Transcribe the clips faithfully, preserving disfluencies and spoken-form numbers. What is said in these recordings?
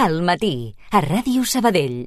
Al matí, a Ràdio Sabadell.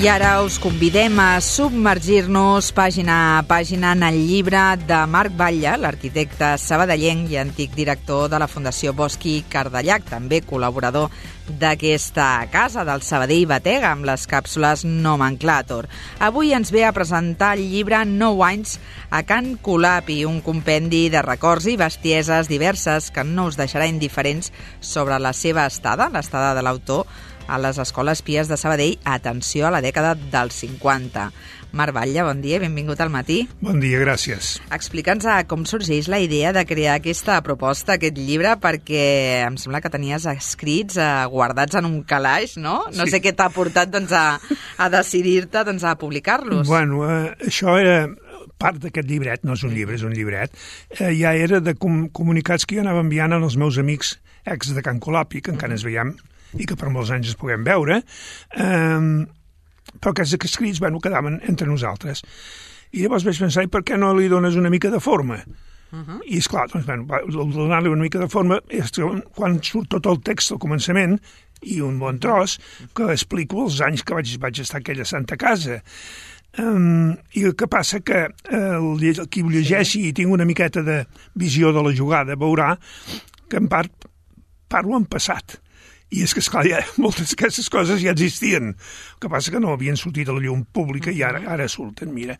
I ara us convidem a submergir-nos pàgina a pàgina en el llibre de Marc Batlle, l'arquitecte sabadellenc i antic director de la Fundació Bosch i Cardellac, també col·laborador d'aquesta casa del Sabadell Batega amb les càpsules Nomenclàtor. Avui ens ve a presentar el llibre Nou anys a Can Colapi, un compendi de records i bestieses diverses que no us deixarà indiferents sobre la seva estada, l'estada de l'autor, a les escoles pies de Sabadell, atenció a la dècada dels cinquanta. Marc Batlle, bon dia, benvingut al matí. Bon dia, gràcies. Explica'ns com sorgeix la idea de crear aquesta proposta, aquest llibre, perquè em sembla que tenies escrits eh, guardats en un calaix, no? No sí. sé què t'ha portat doncs, a, a decidir-te doncs, a publicar-los. Bueno, eh, això era part d'aquest llibret, no és un llibre, és un llibret, eh, ja era de com comunicats que jo anava enviant als meus amics ex de Can Colapi, que encara ens veiem, i que per molts anys es puguem veure, eh, però aquests escrits, bueno, quedaven entre nosaltres. I llavors vaig pensar, i per què no li dones una mica de forma? Uh-huh. I esclar, doncs, bueno, donar-li una mica de forma és quan surt tot el text al començament i un bon tros que explico els anys que vaig, vaig estar a aquella santa casa. Um, I el que passa que uh, qui ho llegeixi i tingui una miqueta de visió de la jugada veurà que en part parlo en passat. I és que, esclar, ja, moltes d'aquestes coses ja existien. El que passa que no havien sortit a la llum pública i ara, ara surten, mira.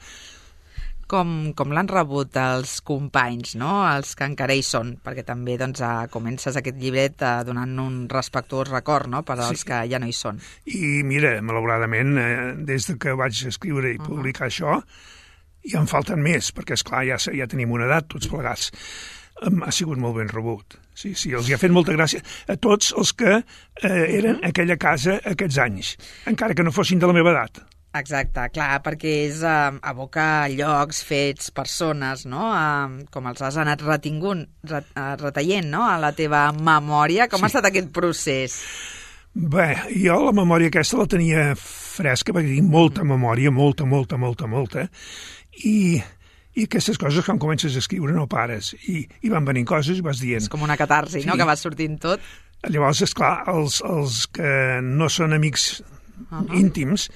Com, com l'han rebut els companys, no? Els que encara hi són, perquè també doncs, comences aquest llibret donant un respectuós record, no?, per als sí. que ja no hi són. I mira, malauradament, eh, des que vaig escriure i publicar uh-huh. això, ja en falten més, perquè, esclar, ja, ja tenim una edat tots plegats. Ha sigut molt ben rebut. Sí, sí, els hi ha fet molta gràcia a tots els que eh, eren a aquella casa aquests anys, encara que no fossin de la meva edat. Exacte, clar, perquè és eh, abocar llocs, fets, persones, no?, eh, com els has anat retingut, ret, eh, reteient, no?, a la teva memòria. Com sí. ha estat aquest procés? Bé, jo la memòria aquesta la tenia fresca, perquè tinc molta memòria, molta, molta, molta, molta, i... I aquestes coses, quan comences a escriure, no pares. I, i van venint coses i vas dient... És com una catarsi, sí. no?, que vas sortint tot. Llavors, esclar, els, els que no són amics uh-huh. íntims,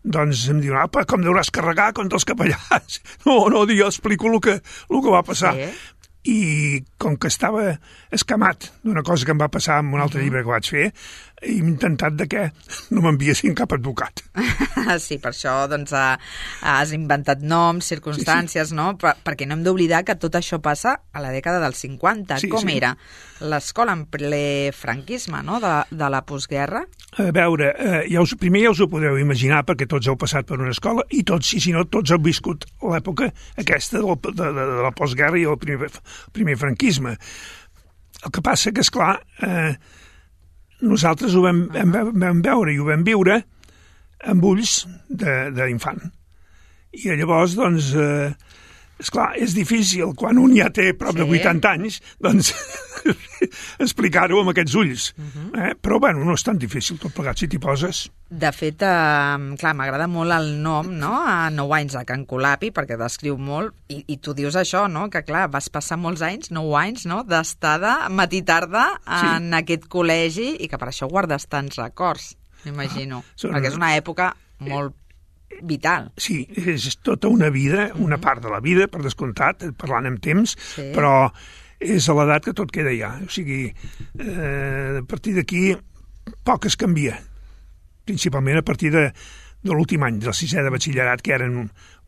doncs em diuen, apa, com deuràs carregar contra els capellans? No, no, jo explico el que, el que va passar. Sí. I com que estava escamat d'una cosa que em va passar en un altre uh-huh. llibre que vaig fer, he intentat de que no m'enviessin cap advocat. Sí, per això doncs, has inventat noms, circumstàncies, sí, sí. no? Per, perquè no hem d'oblidar que tot això passa a la dècada dels cinquanta. Sí, Com sí. era l'escola en ple franquisme, no?, de, de la postguerra? A veure, eh, ja us, primer ja us ho podeu imaginar, perquè tots heu passat per una escola, i tots, i si no, tots heu viscut l'època aquesta de la, de, de, de la postguerra i el primer, el primer franquisme. El que passa que, esclar, eh, nosaltres ho vam, vam, vam veure i ho vam viure amb ulls d'infant. I llavors, doncs, eh, esclar, és difícil, quan un ja té prop sí. de vuitanta anys, doncs, explicar-ho amb aquests ulls. Uh-huh. eh? Però, bueno, no és tan difícil tot plegat, si t'hi poses. De fet, eh, clar, m'agrada molt el nom, no?, a Nou anys a Can Colapi, perquè descriu molt, i, i tu dius això, no?, que, clar, vas passar molts anys, nou anys, no?, d'estada matí-tarda en sí. aquest col·legi, i que per això guardes tants records, m'imagino, ah, són... perquè és una època molt vital. Sí, és tota una vida, una part de la vida, per descomptat, parlant amb temps, sí. però és a l'edat que tot queda ja. O sigui, eh, a partir d'aquí poc es canvia, principalment a partir de, de l'últim any, del sisè de batxillerat, que eren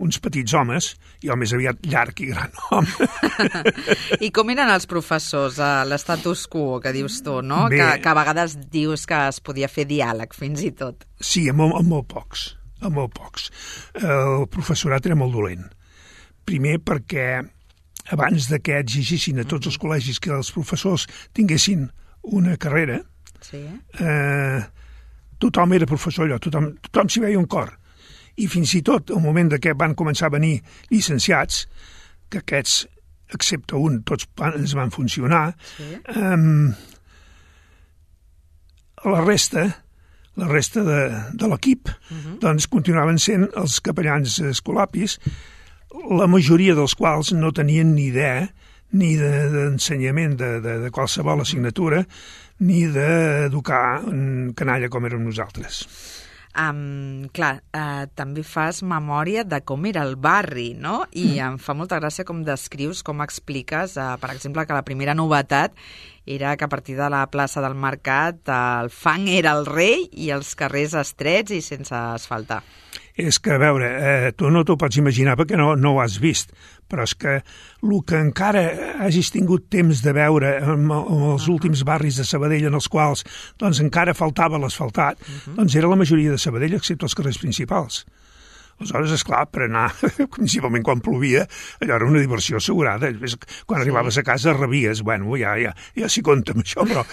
uns petits homes, i el més aviat llarg i gran home. I com eren els professors, a l'estatus quo, que dius tu, no? Que, que a vegades dius que es podia fer diàleg, fins i tot. Sí, amb, amb molt pocs. amb molt pocs. El professorat era molt dolent. Primer perquè abans de que exigissin a tots els col·legis que els professors tinguessin una carrera, sí. eh, tothom era professor allò, tothom, tothom s'hi veia un cor. I fins i tot al moment de que van començar a venir llicenciats, que aquests, excepte un, tots ens van funcionar, sí. eh, la resta la resta de, de l'equip, uh-huh. doncs continuaven sent els capellans escolapis, la majoria dels quals no tenien ni idea ni d'ensenyament de, de, de qualsevol assignatura, ni d'educar un canalla com érem nosaltres. Um, clar, uh, també fas memòria de com era el barri, no? I mm. em fa molta gràcia com descrius, com expliques, uh, per exemple, que la primera novetat era que a partir de la plaça del Mercat el fang era el rei i els carrers estrets i sense asfaltar. És que, a veure, eh, tu no t'ho pots imaginar perquè no, no ho has vist, però és que el que encara hagis tingut temps de veure en, en els últims barris de Sabadell en els quals doncs, encara faltava l'asfaltat, uh-huh. doncs era la majoria de Sabadell, excepte els carrers principals. Aleshores, esclar, per anar, principalment quan plovia, allò era una diversió assegurada. Quan sí. arribaves a casa rebies, bueno, ja, ja, ja s'hi compta amb això, però...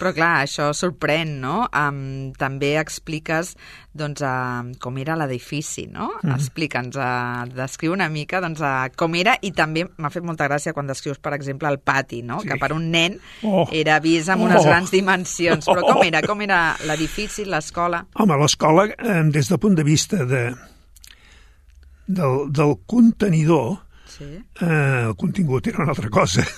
Però clar, això sorprèn, no? Um, també expliques doncs, uh, com era l'edifici, no? Mm. Explica'ns, uh, descriu una mica doncs, uh, com era, i també m'ha fet molta gràcia quan descrius, per exemple, el pati, no? Sí. Que per un nen oh. era vist amb unes oh. grans dimensions. Però com era? Com era l'edifici, l'escola? Home, l'escola, eh, des del punt de vista de, del, del contenidor, sí. eh, el contingut era una altra cosa.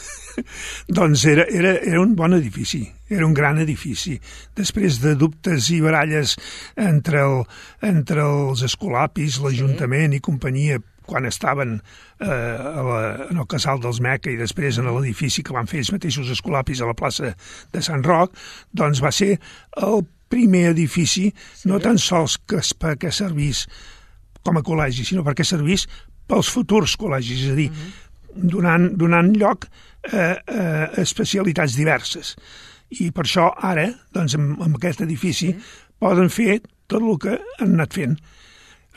Doncs era, era, era un bon edifici, era un gran edifici. Després de dubtes i baralles entre, el, entre els escolapis, l'Ajuntament sí. i companyia, quan estaven eh, a la, en el casal dels Meca i després en l'edifici que van fer ells mateixos escolapis a la plaça de Sant Roc, doncs va ser el primer edifici, sí. no tan sols que, perquè servís com a col·legi, sinó perquè servís pels futurs col·legis, és a dir, uh-huh. donant, donant lloc a eh, especialitats diverses. I per això ara, doncs, amb, amb aquest edifici, sí. poden fer tot el que han anat fent.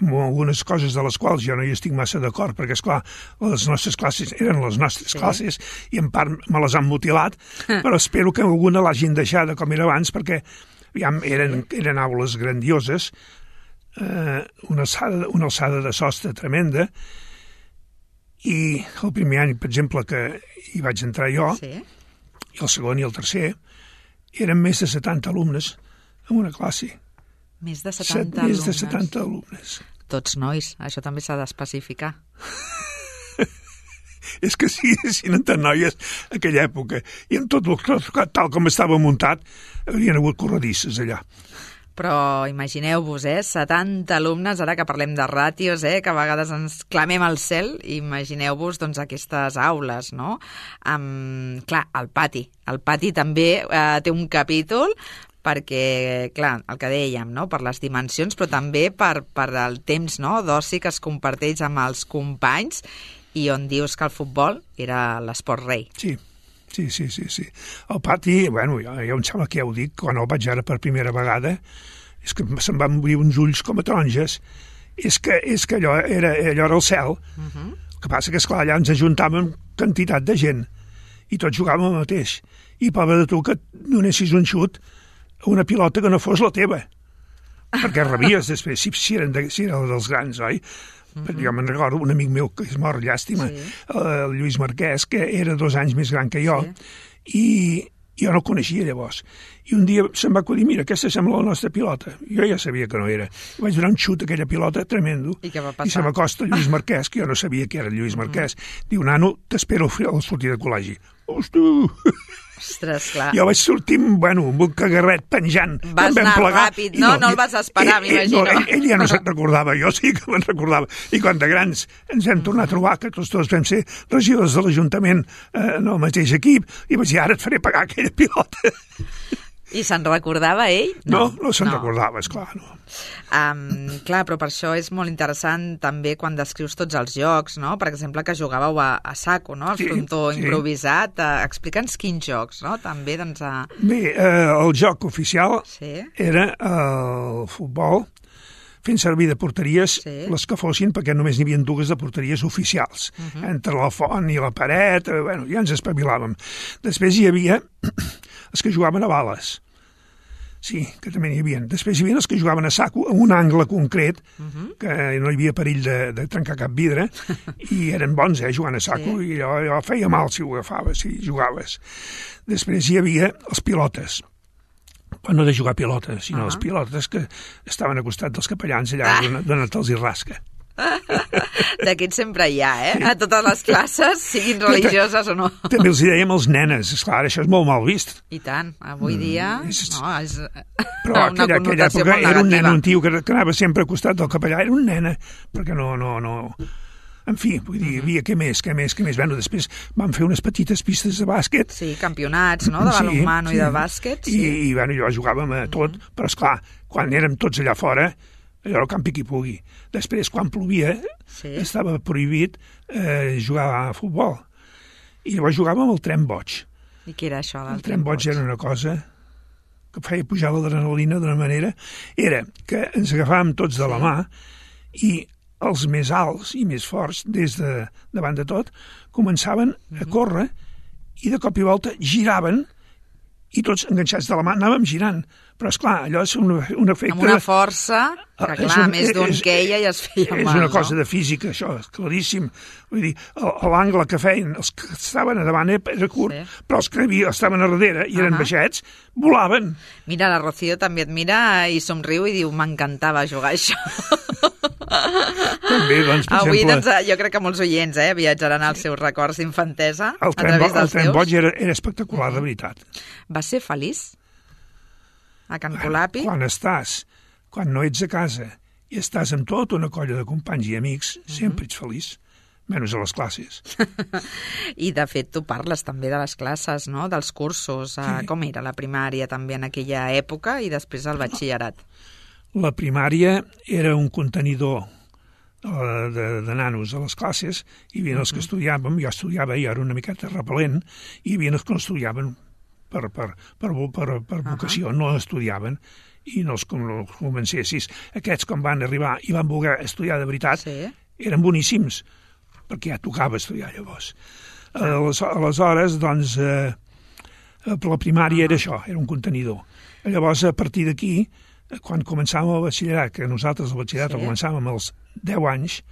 Amb algunes coses de les quals jo no hi estic massa d'acord, perquè, esclar, les nostres classes eren les nostres sí. classes i en part me les han mutilat, però espero que alguna l'hagin deixada com era abans, perquè aviam, eren, eren aules grandioses, eh, una, alçada, una alçada de sostre tremenda, i el primer any, per exemple, que hi vaig entrar jo, sí. i el segon i el tercer, eren més de setanta alumnes en una classe. Més de setanta Set, alumnes? Més de setanta alumnes. Tots nois, això també s'ha d'especificar. És que sí, si no eren noies aquella època, i amb tot el, tal com estava muntat, haurien hagut corredisses allà. Però imagineu-vos, eh, setanta alumnes, ara que parlem de ràtios, eh, que a vegades ens clamem al cel, imagineu-vos doncs, aquestes aules, no? Um, clar, el pati. El pati també eh, té un capítol perquè, clar, el que dèiem, no? Per les dimensions, però també per, per el temps, no? d'oci que es comparteix amb els companys i on dius que el futbol era l'esport rei. Sí. Sí, sí, sí, sí. El pati, bueno, ja, ja em sembla que ja ho dic, quan el vaig ara per primera vegada, és que se'm van obrir uns ulls com a taronges. És que, és que allò, era, allò era el cel. Uh-huh. El que passa que, esclar, allà ens ajuntàvem quantitat de gent i tots jugàvem el mateix. I pobre de tu que donessis un xut a una pilota que no fos la teva. Perquè rebies després, si, si, eren de, si eren dels grans, oi? Mm-hmm. Jo me'n recordo un amic meu que és mort, llàstima, sí. el Lluís Marquès, que era dos anys més gran que jo, sí. i jo no el coneixia llavors. I un dia se'm va acudir, mira, aquesta sembla la nostra pilota. Jo ja sabia que no era. I vaig donar un xut a aquella pilota tremendo. I què va passar? I se m'acosta Lluís Marquès, que jo no sabia que era Lluís Marquès. Mm-hmm. Diu, nano, t'espero al sortir de col·legi. Hosti! Ostres, clar. Jo vaig sortir, bueno, amb un cagarret penjant. Vas anar plegar, ràpid, no? No, no el vas esperar, ell, m'imagino. No, ell, ell ja no se'n recordava, jo sí que me'n recordava. I quan de grans ens hem tornat a trobar, que tots dos vam ser regidors de l'Ajuntament eh, en el mateix equip, i vaig dir, ara et faré pagar aquella pilota. I se'n recordava ell? No, no, no se'n no. recordava, esclar, no. Um, clar, però per això és molt interessant també quan descrius tots els jocs, no? Per exemple, que jugàveu a, a saco, no? El sí, frontó sí. improvisat. Uh, Explica'ns quins jocs, no? També, doncs... A... Bé, eh, el joc oficial sí. era el futbol, fent servir de porteries sí. les que fossin, perquè només n'hi havia dues de porteries oficials. Uh-huh. Entre la font i la paret, eh, bueno, ja ens espavilàvem. Després hi havia els que jugaven a bales. Sí, que també n'hi havia. Després hi havia els que jugaven a saco, en un angle concret, uh-huh. que no hi havia perill de, de trencar cap vidre, i eren bons, eh, jugant a saco, sí. i allò, allò feia mal si ho agafaves, si jugaves. Després hi havia els pilotes, Però no de jugar a pilota, sinó Ah. les pilotes que estaven al costat dels capellans allà Ah. donant-los i rasca. D'aquests sempre hi ha, eh? A totes les classes, siguin religioses o no. També els hi dèiem els nenes, esclar, això és molt mal vist. I tant, avui dia és- no, és Però una aquella, aquella connotació època molt era un nen, negativa. un tio que, que anava sempre al costat del capellà, era un nena, perquè no, no, no... En fi, vull dir, hi havia què més, què més, què més. Bueno, després vam fer unes petites pistes de bàsquet. Sí, campionats, no?, de balonmano i de bàsquet. I, Sí. i bueno, jo jugàvem a tot, però esclar, quan érem tots allà fora, allò al campi qui pugui. Després, quan plovia, Sí. estava prohibit eh, jugar a futbol. I llavors jugàvem al tren boig. I què era això del El tren boig era una cosa que feia pujar l'adrenalina d'una manera. Era que ens agafàvem tots de la mà i els més alts i més forts, des de davant de tot, començaven a córrer i de cop i volta giraven i tots enganxats de la mà anàvem girant. Però, esclar, allò és un, un efecte... Amb una força que, Ah, és clar, un- més d'un és- queia i es feia mal, És una no? cosa de física, això, és claríssim. Vull dir, el- l'angle que feien els que estaven a davant era curt, Sí. però els que havia, estaven a darrere i eren Ahà. baixets, volaven. Mira, la Rocío també et mira i somriu i diu, m'encantava jugar a això. També, doncs, per Avui, exemple, doncs, jo crec que molts oients eh, viatjaran als seus records d'infantesa a el tren, bo, través el dels tren teus. boig era, era espectacular, de veritat. Va ser feliç? A Can Colapi? Quan estàs, quan no ets a casa i estàs amb tota una colla de companys i amics, sempre ets feliç, menys a les classes. I, de fet, tu parles també de les classes, no?, dels cursos. Sí. Com era la primària també en aquella època i després el batxillerat? La primària era un contenidor eh, de, de nanos a les classes, hi havia els que estudiàvem, jo estudiava i era una miqueta repel·lent, i hi havia els que no estudiaven per, per, per, per, per vocació, no estudiaven, i no els, no els convencessis. Aquests, quan van arribar i van voler estudiar de veritat, Sí. eren boníssims, perquè ja tocava estudiar llavors. Ales- Aleshores, doncs, eh, la primària era això, era un contenidor. Llavors, a partir d'aquí, eh, quan començàvem el batxillerat, que nosaltres el batxillerat Sí. el començàvem als deu anys,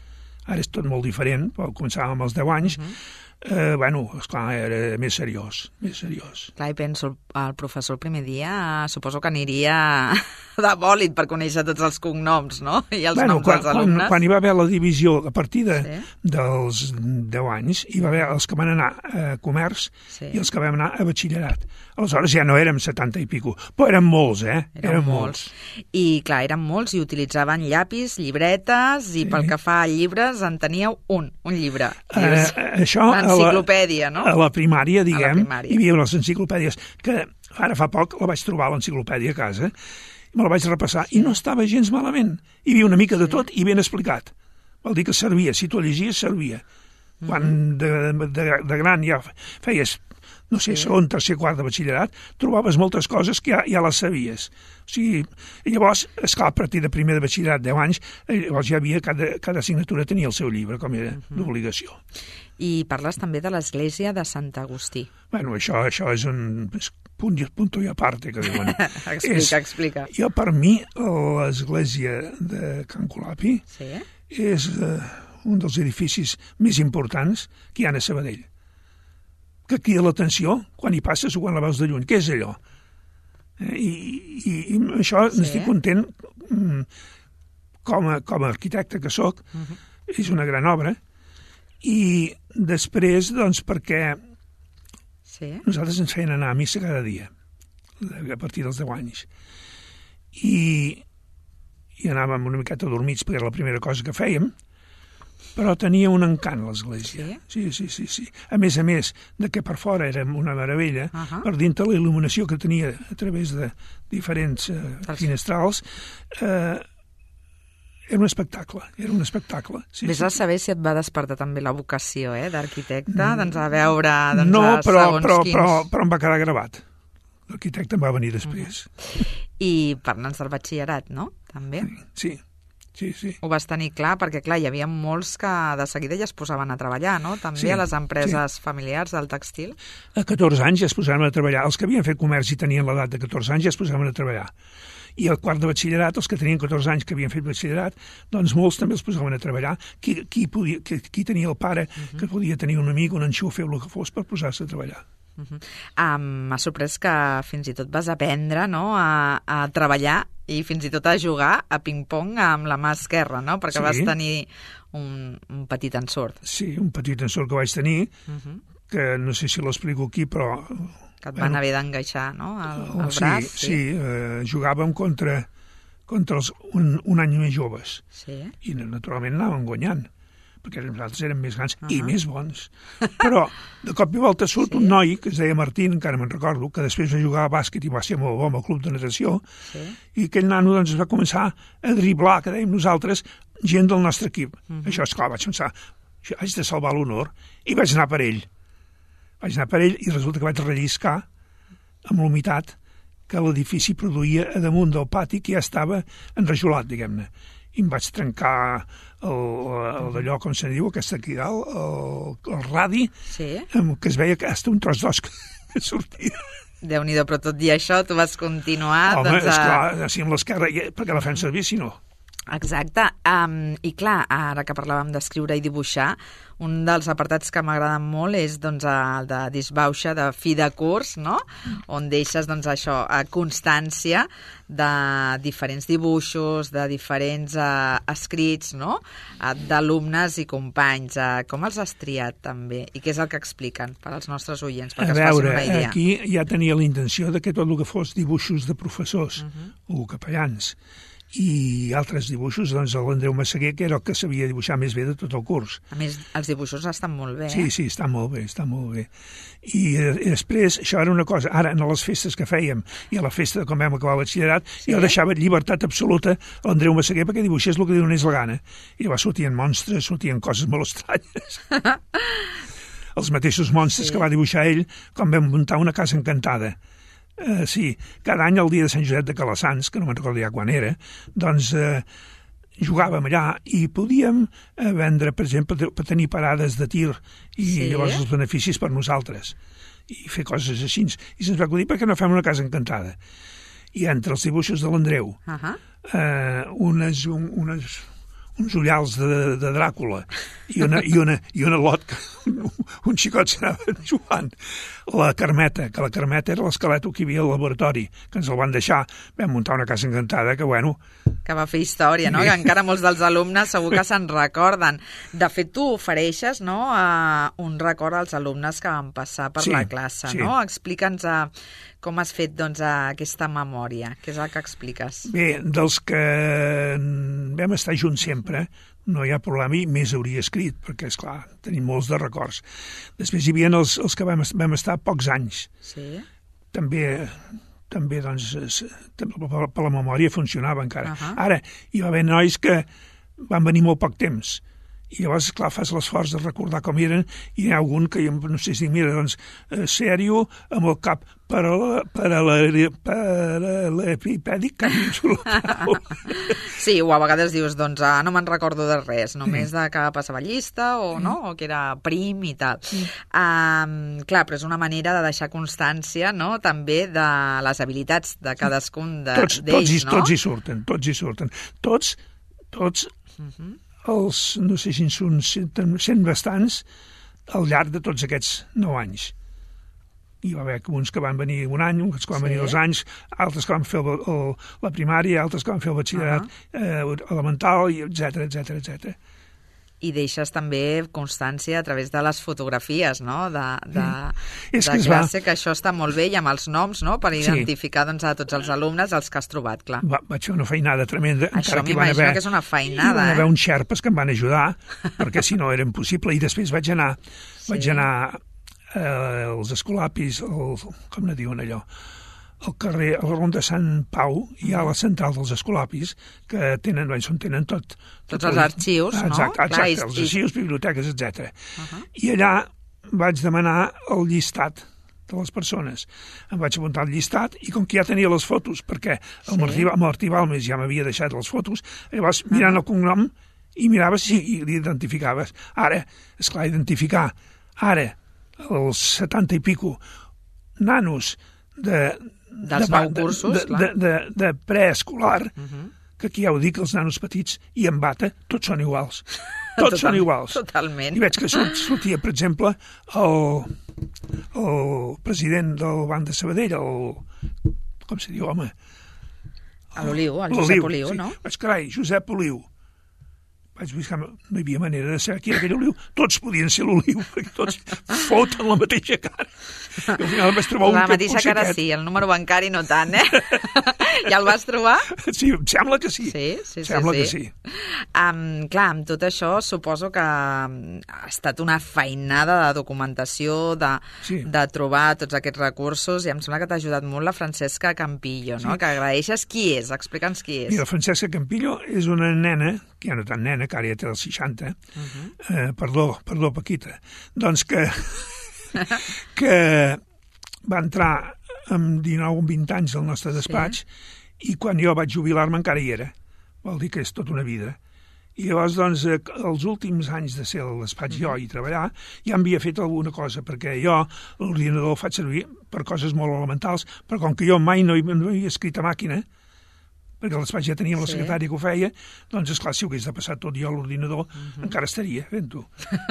ara és tot molt diferent, però començàvem als deu anys, eh, bueno, esclar, era més seriós, més seriós. Clar, i penso, el professor el primer dia suposo que aniria de bòlit per conèixer tots els cognoms, no?, i els Bueno, noms quan, dels quan, alumnes. quan hi va haver la divisió a partir de, Sí. dels deu anys, hi va haver els que van anar a comerç Sí. i els que vam anar a batxillerat. Aleshores ja no érem setanta i pico, però érem molts, eh? Eren molts. I, clar, eren molts i utilitzaven llapis, llibretes, i pel que fa a llibres en teníeu un, un llibre. Dius, Eh, això a la- l'enciclopèdia, no? A la primària, diguem, primària. hi havia les enciclopèdies, que ara fa poc la vaig trobar, l'enciclopèdia, a casa, me la vaig repassar, i no estava gens malament. Hi havia una mica de tot i ben explicat. Vol dir que servia, si tu llegies, servia. Quan de, de, de gran ja feies, no sé, segon, tercer, quart de batxillerat, trobaves moltes coses que ja, ja les sabies. O sigui, i llavors, esclar, a partir de primer de batxillerat, deu anys, eh, llavors ja havia, cada, cada assignatura tenia el seu llibre, com era d'obligació. I parles també de l'església de Sant Agustí. Bueno, això, això és un és punt, i- punto i aparte, que diuen. Explica, és, explica. Jo, per mi, l'església de Can Colapi Sí? és eh, un dels edificis més importants que hi ha a Sabadell. Que crida l'atenció quan hi passes o quan la veus de lluny. Què és allò? Eh, I, i, i això Sí. n'estic content mm, com a, com a arquitecte que sóc. Uh-huh. És una gran obra. I després, doncs, perquè Sí? nosaltres ens feien anar a missa cada dia, a partir dels deu anys. I, i anàvem una miqueta dormits, perquè era la primera cosa que fèiem, però tenia un encant, l'església. Sí? Sí, sí, sí. A més a més de que per fora era una meravella, Ahà. per dintre la il·luminació que tenia a través de diferents eh, Dels- finestrals, eh, era un espectacle, era un espectacle. Sí, Vés sí, a sí. saber si et va despertar també la vocació eh, d'arquitecte, doncs a veure doncs, No, a però, segons però, quins... però, però em va quedar gravat. L'arquitecte em va venir després. I parla'ns del batxillerat, no?, també. Sí, sí, sí. Ho vas tenir clar, perquè clar, hi havia molts que de seguida ja es posaven a treballar, no?, també Sí, a les empreses familiars del textil. A catorze anys ja es posaven a treballar. Els que havien fet comerç i tenien l'edat de catorze anys ja es posaven a treballar. I al quart de batxillerat, els que tenien catorze anys que havien fet batxillerat, doncs molts també els posaven a treballar. Qui, qui, podia, qui, qui tenia el pare, uh -huh. que podia tenir un amic, un enxufe o el que fos per posar-se a treballar. Uh-huh. Um, M'ha sorprès que fins i tot vas aprendre, no?, a, a treballar i fins i tot a jugar a ping-pong amb la mà esquerra, no?, perquè Sí. vas tenir un, un petit ensurt. Sí, un petit ensurt que vaig tenir, Uh-huh. que no sé si l'explico aquí, però... Que et van haver d'engaixar, no?, el, el sí, braç. Sí, eh, jugàvem contra, contra els un, un any més joves. Sí. I naturalment anàvem guanyant, perquè nosaltres érem més grans uh -huh. i Uh-huh. més bons. Però de cop i volta surt Sí. un noi que es deia Martín, encara me'n recordo, que després va jugar a bàsquet i va ser molt bo amb el club de natació, Sí. i aquell nano doncs, es va començar a driblar, que dèiem nosaltres, gent del nostre equip. Uh -huh. Això, esclar, vaig pensar, això, haig de salvar l'honor, i vaig anar per ell. Vaig anar per ell i resulta que vaig relliscar amb l'humitat que l'edifici produïa a damunt del pati, que ja estava enrajolat, diguem-ne. I em vaig trencar el, el d'allò, com se diu, aquesta aquí dalt, el, el radi, Sí. amb, que es veia que hasta un tros d'os que, que sortia. Déu-n'hi-do, però tot i això tu vas continuar... Home, doncs, a... esclar, així amb l'esquerra, i- perquè la fem servir, si no. Exacte. Um, I clar, ara que parlàvem d'escriure i dibuixar, un dels apartats que m'agraden molt és doncs, el de disbauxa, de fi de curs, no?, on deixes doncs, això, a constància de diferents dibuixos, de diferents uh, escrits, no?, uh, d'alumnes i companys. Uh, com els has triat, també? I què és el que expliquen per als nostres oients, perquè A es facin veure, una idea? aquí ja tenia la intenció de que tot el que fos dibuixos de professors uh -huh. o capellans i altres dibuixos, doncs l'Andreu Massaguer, que era el que sabia dibuixar més bé de tot el curs. A més, els dibuixos estan molt bé, Sí, eh? sí, està molt bé, està molt bé. I, eh, i després, això era una cosa, ara, en les festes que fèiem, i a la festa de com vam acabar el batxillerat, Sí. jo deixava llibertat absoluta a l'Andreu Massaguer perquè dibuixés el que li donés la gana. I llavors sortien monstres, sortien coses molt estranyes. Els mateixos monstres Sí. que va dibuixar ell quan vam muntar una casa encantada. Uh, sí, cada any el dia de Sant Josep de Calassans, que no me'n recordo ja quan era, doncs uh, jugàvem allà i podíem uh, vendre, per exemple, per tenir parades de tir i Sí. llavors els beneficis per nosaltres i fer coses així. I se'ns va acudir perquè no fem una casa encantada. I entre els dibuixos de l'Andreu, Uh -huh. uh, unes, un, unes, uns ullals de, de Dràcula i una, i una, i una lot que un, un xicot s'anava jugant. La Carmeta, que la Carmeta era l'esquelet que hi havia al laboratori, que ens el van deixar. Vam muntar una casa encantada que, bueno... Que va fer història, no? Sí. Que encara molts dels alumnes segur que se'n recorden. De fet, tu ofereixes, no?, a un record als alumnes que van passar per Sí, la classe, sí. no? Explica'ns a com has fet, doncs, a aquesta memòria. Què és el que expliques? Bé, dels que vam estar junts sempre, no hi ha problema i més hauria escrit, perquè, és clar, tenim molts de records. Després hi havia els, els que vam, vam estar pocs anys. Sí? També, també doncs, es, per, per la memòria funcionava encara. Uh -huh. Ara, hi va haver nois que van venir molt poc temps, i llavors, clar, fas l'esforç de recordar com eren, i hi ha algun que jo no sé si mira, doncs, eh, sèrio, amb el cap paral·lepipèdic, que Sí, o a vegades dius, doncs, ah, no me'n recordo de res, només de que passava llista o, no? o que era prim i tal. Um, clar, però és una manera de deixar constància, no?, també de les habilitats de cadascun tots, d'ells, tots, hi, no? tots hi surten, tots hi surten. Tots, tots els, no sé si en són cent, cent bastants al llarg de tots aquests nou anys. Hi va haver uns que van venir un any, uns que van Sí. venir dos anys, altres que van fer el, el, la primària, altres que van fer el batxillerat uh -huh. eh, elemental, i etcètera, etcètera, etcètera. I deixes també constància a través de les fotografies, no?, de, de, És de que es va- classe, que això està molt bé, i amb els noms, no?, per identificar, doncs, a tots els alumnes els que has trobat, clar. Va, vaig fer una feinada tremenda. Això encara que hi van m'imagino haver- que és una Hi feinada, van eh? haver uns xerpes que em van ajudar, perquè si no era impossible. I després vaig anar, Sí. vaig anar eh, als Escolapis, el, com ne diuen allò, al carrer, al rond de Sant Pau, hi ha la central dels Escolapis, que tenen, doncs, on tenen tot... Tots tot els arxius, no? Exacte, Clar, exacte i- els i- arxius, biblioteques, etcètera. Uh -huh. I allà vaig demanar el llistat de les persones. Em vaig apuntar al llistat i com que ja tenia les fotos, perquè el Sí. Martí, el Martí Balmes ja m'havia deixat les fotos, llavors mirant el cognom i miraves sí, i l'identificaves. Ara, esclar, identificar ara els setanta i pico nanos de... Dels de, nou cursos, de, clar. de, de, de preescolar, Uh -huh. que aquí ja ho dic, els nanos petits i en bata, tots són iguals. Tots Total, són iguals. Totalment. I veig que surt, sortia, per exemple, el, el president del Banc de Sabadell, el... com se diu, home? A l'Oliu, el Josep Oliu, sí. no? Vaig, carai, Josep Oliu. Vaig buscar, no hi havia manera de saber qui era aquell Oliu. Tots podien ser l'Oliu, perquè tots foten la mateixa cara. I al final em vaig trobar un la que mateixa cara aquest. sí, el número bancari no tant, eh? Ja el vas trobar? Sí, em sembla que sí. Sí, sí, sí. Sembla sí. que sí. Um, clar, amb tot això suposo que ha estat una feinada de documentació, de, Sí. de trobar tots aquests recursos, i em sembla que t'ha ajudat molt la Francesca Campillo, no? Sí. Que agraeixes. Qui és? Explica'ns qui és. Mira, Francesca Campillo és una nena, que ja no tan nena, que ara ja té els seixanta, uh -huh. eh, perdó, perdó, Paquita, doncs que, que va entrar amb dinou o vint anys al nostre despatx, sí. I quan jo vaig jubilar-me encara hi era. Vol dir que és tota una vida. I llavors, doncs, eh, els últims anys de ser al despatx jo i treballar, ja havia fet alguna cosa, perquè jo l'ordinador el faig servir per coses molt elementals, però com que jo mai no hi, no hi he escrit a màquina, perquè al despatx ja teníem la secretària que ho feia, doncs, esclar, si ho hagués de passar tot jo a l'ordinador, uh -huh. encara estaria fent-ho.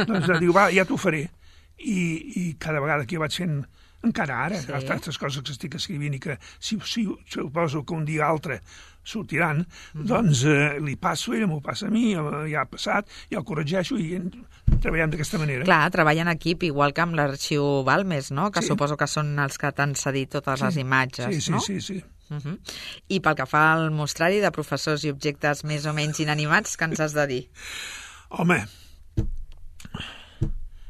Doncs diu, va, ja t'ho faré. I, I cada vegada que jo vaig fent, encara ara, sí. altres coses que estic escrivint i que si, si suposo que un dia altre sortiran, uh -huh. doncs eh, li passo, ella m'ho passa a mi, ja ha passat, ja ho corregeixo i treballem d'aquesta manera. Clar, treballa en equip, igual que amb l'arxiu Balmes, no? Que sí. suposo que són els que t'han cedit totes sí. les imatges, sí, sí, no? Sí, sí, sí. Uh -huh. I pel que fa al mostrari de professors i objectes més o menys inanimats, què ens has de dir? Home,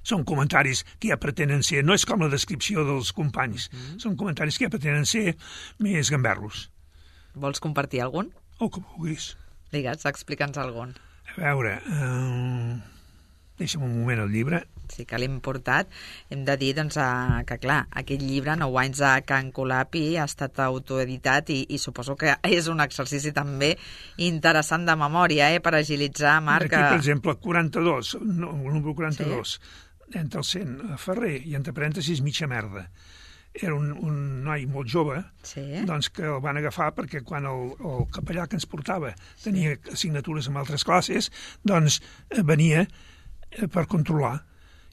són comentaris que ja pretenen ser, no és com la descripció dels companys, uh -huh. són comentaris que ja pretenen ser més gamberros. Vols compartir algun? O que vulguis. Digues, explica'ns algun. A veure, eh, deixa'm un moment el llibre. Sí que l'hem portat. Hem de dir doncs, a, que, clar, aquest llibre, Nou anys a Can Colapi, ha estat autoeditat i, i suposo que és un exercici també interessant de memòria, eh, per agilitzar, Marc. Aquí, per exemple, quaranta-dos, no, el número quaranta-dos, sí. Entre el cent, Ferrer, i entre parèntesis, mitja merda. Era un, un noi molt jove, sí. doncs que el van agafar perquè quan el, el capellà que ens portava tenia sí. assignatures en altres classes, doncs venia per controlar.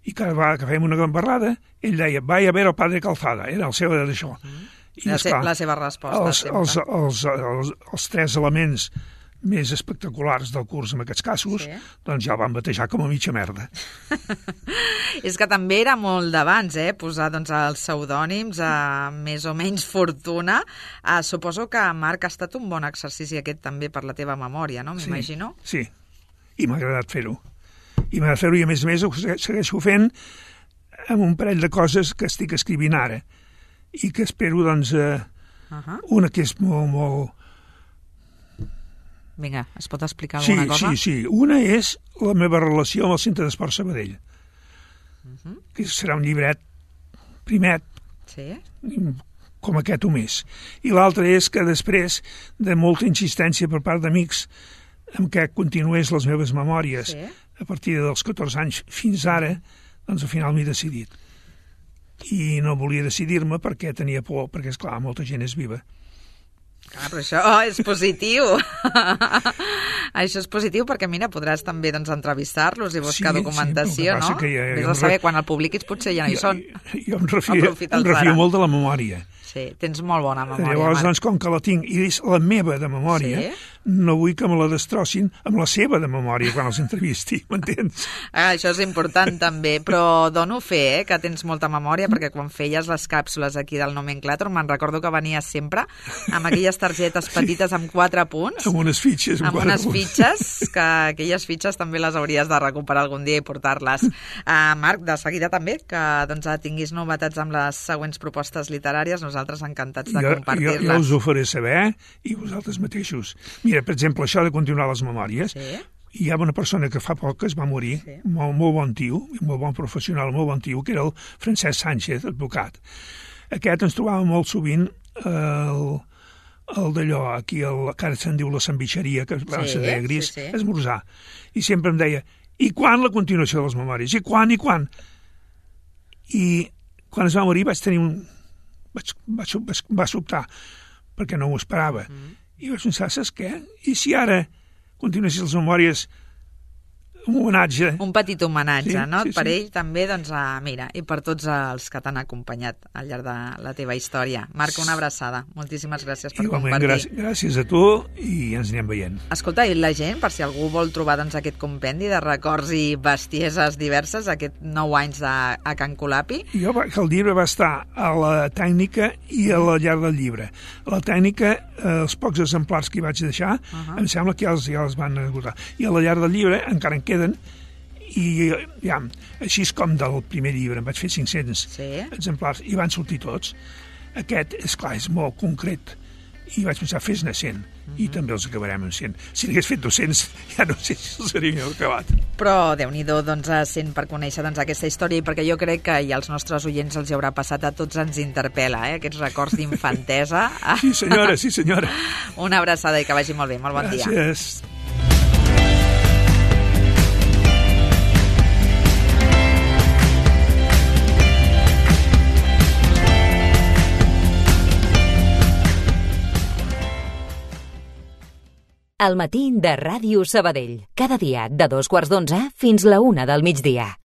I cada vegada que fèiem una gambarrada, ell deia, vai a veure el padre Calzada, era el seu d'això. Mm. I, la, esclar, la seva resposta, els, sempre. Els, els, els, els tres elements més espectaculars del curs en aquests casos, sí. doncs ja el van batejar com a mitja merda. És que també era molt d'abans, eh? Posar doncs, els pseudònims a més o menys fortuna. Uh, suposo que, Marc, ha estat un bon exercici aquest també per la teva memòria, no? M'imagino. Sí, sí, i m'ha agradat fer-ho. I m'ha de fer-ho i a més a més ho segueixo fent amb un parell de coses que estic escrivint ara i que espero, doncs, eh, uh -huh. una que és molt, molt... Vinga, es pot explicar alguna sí, cosa? Sí, sí, una és la meva relació amb el Centre d'Esport Sabadell, uh -huh. que serà un llibret primet, sí. com aquest o més. I l'altra és que després de molta insistència per part d'amics amb què continués les meves memòries, sí. a partir dels catorze anys fins ara, doncs al final m'he decidit. I no volia decidir-me perquè tenia por, perquè, esclar, molta gent és viva. Ah, però això oh, és positiu. Això és positiu perquè, mira, podràs també doncs, entrevistar-los i buscar sí, documentació, sí, no? Que ja, Vés a saber, re... quan el publiquis potser ja no hi són. Jo, jo em refio, em refio molt de la memòria. Sí, tens molt bona memòria. Llavors, doncs, com que la tinc, i és la meva de memòria, sí? no vull que me la destrossin amb la seva de memòria quan els entrevisti, m'entens? Ah, això és important, també, però dono fe, eh, que tens molta memòria, perquè quan feies les càpsules aquí del Nomenclàtor, me'n recordo que venies sempre amb aquelles targetes petites amb quatre punts. Amb unes fitxes. Amb, amb unes punts. fitxes, que aquelles fitxes també les hauries de recuperar algun dia i portar-les. Uh, Marc, de seguida també, que doncs, tinguis novetats amb les següents propostes literàries, nosaltres encantats de compartir-les. Jo, jo us ho faré saber, i vosaltres mateixos. Mira, per exemple, això de continuar les memòries, sí? Hi ha una persona que fa poc que es va morir, sí. molt, molt bon tio, molt bon professional, molt bon tio, que era el Francesc Sánchez, advocat. Aquest ens trobava molt sovint el, el d'allò, aquí, el, que ara se'n diu la sandvitxeria, que va sí, ser de gris, sí, sí. esmorzar. I sempre em deia, i quan la continuació de les memòries? I quan, i quan? I quan es va morir vaig tenir un... Vaig, vaig, vaig, va sobtar, perquè no m'ho esperava. Mm. I vaig pensar, saps què? I si ara continuessis les memòries un homenatge. Un petit homenatge, Sí, no? sí, Per sí. ell també, doncs, a, mira, i per tots els que t'han acompanyat al llarg de la teva història. Marc, una abraçada. Moltíssimes gràcies per Igualment, compartir. gràcies, gràcies a tu i ens anem veient. Escolta, i la gent, per si algú vol trobar doncs, aquest compendi de records i bestieses diverses, aquest nou anys de, a Can Colapi. Jo, va- que el llibre va estar a la tècnica i a la llar del llibre. A la tècnica, eh, els pocs exemplars que hi vaig deixar, uh -huh. em sembla que ja els, ja els van esgotar. I a la llar del llibre encara en queden, i ja, així és com del primer llibre, em vaig fer cinc-cents Sí. exemplars i van sortir tots. Aquest, és clar, és molt concret, i vaig pensar, fes-ne cent, uh -huh. i també els acabarem amb cent. Si n'hagués fet dos-cents, ja no sé si els hauria acabat. Però, Déu-n'hi-do, doncs, a cent per conèixer doncs, aquesta història, i perquè jo crec que i als nostres oients els hi haurà passat, a tots ens interpel·la, eh? Aquests records d'infantesa. Sí, senyora, sí, senyora. Una abraçada i que vagi molt bé. Molt bon dia. Gràcies. Al matí de Ràdio Sabadell. Cada dia de dos quarts d'onze fins la una del migdia.